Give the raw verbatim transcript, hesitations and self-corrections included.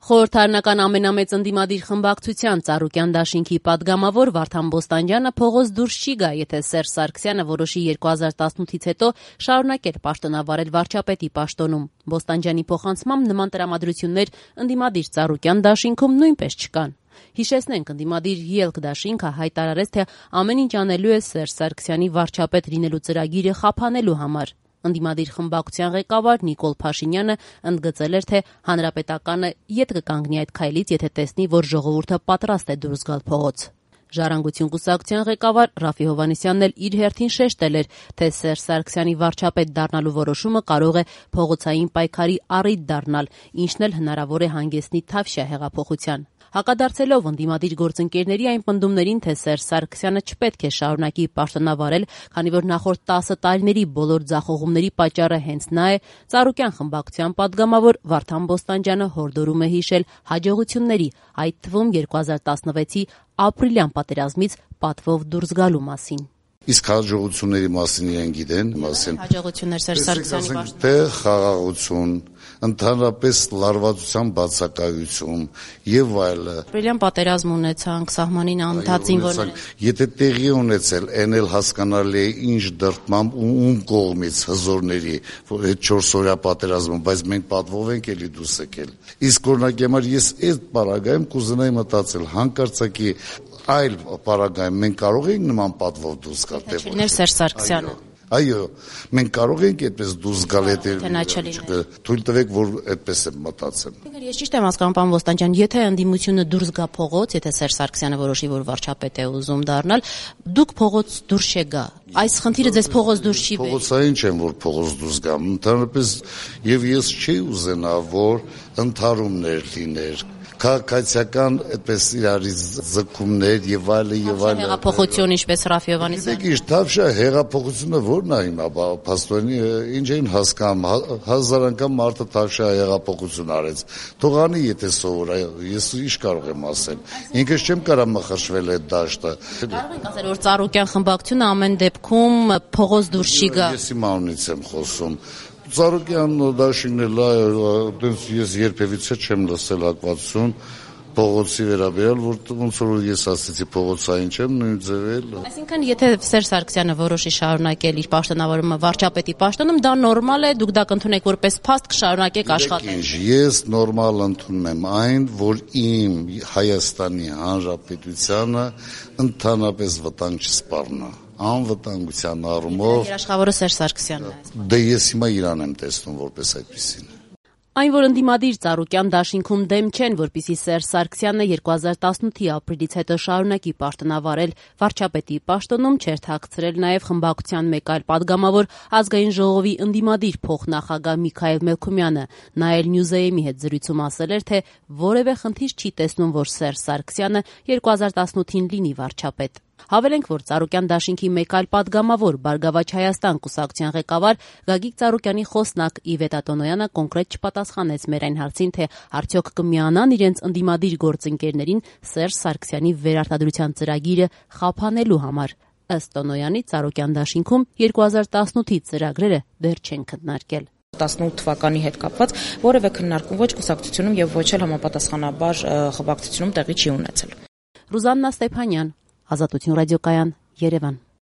Խորհրդարանական ամենամեծ ընդդիմադիր խմբակցության Ծառուկյան դաշինքի պատգամավոր Վարդան Բոստանջյանը փողոց դուրս չի գա, եթե Սերժ Սարգսյանը որոշի երկու հազար տասնութից հետո շարունակել պաշտոնավարել վարչապետի պաշտոնում։ Բոստանջյանի փոխանցմամբ նման տրամադրություններ ընդդիմադիր Ծառուկյան դաշինքում նույնպես չկան։ Հիշեցնենք, ընդդիմադիր ելք դաշինքը հայտարարեց, թե ամեն ինչ անելու է Սերժ Սարգսյանի վարչապետ լինելու ծրագիրը խափանելու համար։ Ընդդիմադիր խմբակցության ղեկավար Նիկոլ Փաշինյանը ընդգծել էր, թե Հանրապետականը ետ կկանգնի այդ քայլից, եթե տեսնի, որ ժողովուրդը պատրաստ է դուրս գալ փողոց։ Ժառանգություն կուսակցության ղեկավար Ռաֆի Հովհաննիսյանն էլ իր հերթին շեշտել էր, թե Սերժ Սարգսյանի վարչապետ դառնալու որոշումը կարող է փողոցային պայքարի առիթ դառնալ, ինչն էլ հնարավոր է հանգեցնի Թավշյա հեղափոխության։ Հակադարձելով ընդդիմադիր գործընկերների այն պնդումներին, թե Սերժ Սարգսյանը չպետք է շարունակի պաշտոնավարել, քանի որ նախորդ տասը տարիների բոլոր ձախողումների պատճառը հենց նա է, Ծառուկյան խմբակցության պատգամավոր Վարդան Բոստանջյանը հորդորում է հիշել հաջողությունների, այդ թվում երկու հազար տասնվեցի ապրիլյան պատերազմից պատվով դուրս գալու մասին։ Իսկ հաջողությունների մասին իրեն գիտեն, մասին հաջողություններ Սերժ Սարգսյանի պաշտոնը, թե խաղաղություն, ընդհանրապես լարվածության բացակայություն եւ այլը։ Ապրիլյան պատերազմ ունեցանք, սահմանին անընդհատ զինվորներ։ Եթե տեղի ունեցել, այն էլ հասկանալի է ինչ դրդմամբ ու ում կողմից հզորների, որ այդ չորսօրյա պատերազմը, բայց մենք պատվով ենք էլի դուրս եկել։ Իսկ օրինակի համար ես այդ պարագայում կուզենայի մտածել հանկարծակի այլ պարագայում մենք կարող ենք նման պատվով դուրս գալ, թե չէ Սերժ Սարգսյանը։ Այո, մենք կարող ենք այդպես դուրս գալ, եթե թույլ տվեք, որ այդպես եմ մտածել։ Ես ճիշտ եմ հասկանում, պարոն Բոստանջյան, եթե ընդդիմությունը դուրս գա փողոց, եթե Սերժ Սարգսյանը որոշի, որ վարչապետ է ուզում դառնալ, դուք փողոց դուրս չգա։ Այս խնդիրը ձեզ փողոց դուրս չի բերի։ Փողոցային չեմ, որ փողոց դուրս գամ, ընդհանրապես եւ ես չի ուզենա, որ ընդհարումներ լիներ, քաղաքացիական այդպես իրարից ձգումներ եւ այլը եւ այլը։ Հեղափոխություն, ինչպես Ռաֆի Հովհաննիսյանը։ Դե ճիշտ, Թավշյա հեղափոխությունը ո՞րն է հիմա, փաստորեն ինչ են հասկանում, հազար անգամ մարդը Թավշյա հեղափոխություն արեց։ Թող անի, եթե սովոր է, ես ինչ կարող եմ ասել։ Ինքս չեմ կարող մխաշվել այդ դաշտը։ Կարող ենք ասել, որ Ծառուկյան խմբակցությունը ամեն դեպքում փողոց դուրս չի գա։ Ես իմ անունից եմ խոսում։ Ծառուկյան դաշինքն էլ այդպես ես երբևիցե չեմ լսել հակվածություն փողոցի վերաբերյալ, որ ոնց որ ես ասեցի փողոցային չեմ, նույն ձևել։ Այսինքն, եթե Սերժ Սարգսյանը որոշի շարունակել իր պաշտոնավարումը վարչապետի պաշտոնում, դա նորմալ է, դուք դա կընդունեք որպես փաստ, կշարունակեք աշխատել։ Ես նորմալ ընդունում եմ այն, որ իմ Հայաստանի Հանրապետությանը ընդհանրապես վտանգ չսպառնա։ Անվտանգության առումով երաշխավորը Սերժ Սարգսյանն է։ Դե ես հիմա իրան եմ տեսնում որպես այդպեսին։ Այն, որ ընդդիմադիր Ծառուկյան դաշինքում դեմ չեն, որպեսզի Սերժ Սարգսյանը երկու հազար տասնութի ապրիլից հետո շարունակի պաշտոնավարել վարչապետի պաշտոնում, չէր թաքցրել նաև խմբակցության մեկ այլ պատգամավոր Ազգային ժողովի ընդդիմադիր փոխնախագահ Միքայել Մելքումյանը։ Նա էլ Նյուզեյմի հետ զրույցում ասել էր, թե որևէ խնդիր չի տեսնում, որ Սերժ Սարգսյանը երկու հազար տասնութին լինի վարչապետ։ Հավելենք, որ Ծառուկյան դաշինքի մեկ այլ պատգամավոր Բարգավաճ Հայաստան կուսակցության ղեկավար Գագիկ Ծառուկյանի խոսնակ Իվետ Ատոնոյանը կոնկրետ չպատասխանեց մեր այն հարցին, թե արդյոք կմիանան իրենց ընդդիմադիր գործընկերներին Սերժ Սարգսյանի վերարտադրության ծրագիրը խափանելու համար։ Ըստ Տոնոյանի, Ծառուկյան դաշինքում երկու հազար տասնութի ծրագրերը դեռ չեն քննարկել։ տասնութ թվականի հետ կապված որևէ քննարկում ոչ կուսակցությունում եւ ոչ էլ համապատասխանաբար խմբակցությունում տեղի չի ունեցել։ Ռուզաննա Ստեփանյան, Ազատություն ռադիոկայան, Երևան։